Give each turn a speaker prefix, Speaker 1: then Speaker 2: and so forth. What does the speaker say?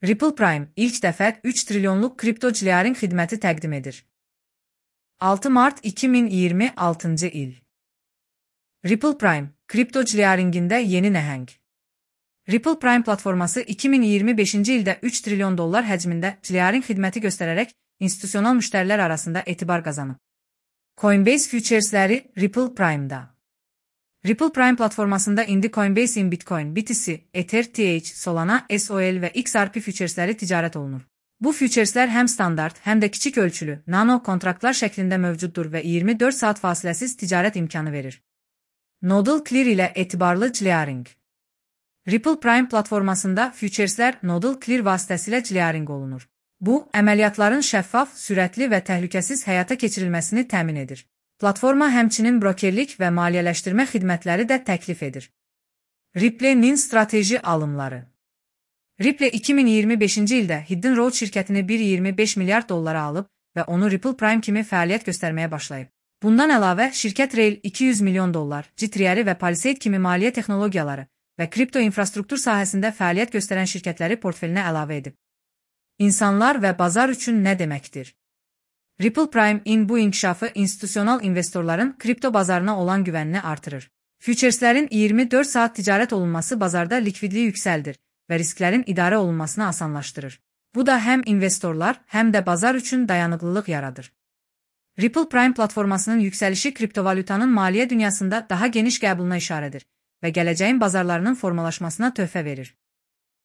Speaker 1: Ripple Prime ilk dəfə 3 trilyonluq kripto clearing xidməti təqdim edir. 6 mart 2026-cı il. Ripple Prime, kripto clearingində yeni nəhəng. Ripple Prime platforması 2025-ci ildə 3 trilyon dollar həcmində clearing xidməti göstərərək institusional müştərilər arasında etibar qazanıb. Coinbase Futures'ləri Ripple Prime'da. Ripple Prime platformasında indi Coinbase in Bitcoin, BTC, Ether, TH, Solana, SOL və XRP Futures'ləri ticarət olunur. Bu Futures'lər həm standart, həm də kiçik ölçülü, nano kontraktlar şəklində mövcuddur və 24 saat fasiləsiz ticarət imkanı verir. Nodal Clear ilə etibarlı clearing. Ripple Prime platformasında Futures'lər Nodal Clear vasitəsilə clearing olunur. Bu, əməliyyatların şəffaf, sürətli və təhlükəsiz həyata keçirilməsini təmin edir. Platforma həmçinin brokerlik və maliyyələşdirmə xidmətləri də təklif edir. Ripple'nin strateji alımları. Ripple 2025-ci ildə Hidden Road şirkətini 1,25 milyard dollara alıb və onu Ripple Prime kimi fəaliyyət göstərməyə başlayıb. Bundan əlavə, şirkət Rail 200 milyon dollar, G-Tree və Palisade kimi maliyyə texnologiyaları və kripto infrastruktur sahəsində fəaliyyət göstərən şirkətləri portfelinə əlavə edib. İnsanlar və bazar üçün nə deməkdir? Ripple Prime-in bu inkişafı institusional investorların kripto bazarına olan güvənini artırır. Futures'lərin 24 saat ticarət olunması bazarda likvidliyi yüksəldir və risklərin idarə olunmasını asanlaşdırır. Bu da həm investorlar, həm də bazar üçün dayanıqlılıq yaradır. Ripple Prime platformasının yüksəlişi kriptovalyutanın maliyyə dünyasında daha geniş qəbuluna işarədir və gələcəyin bazarlarının formalaşmasına töhfə verir.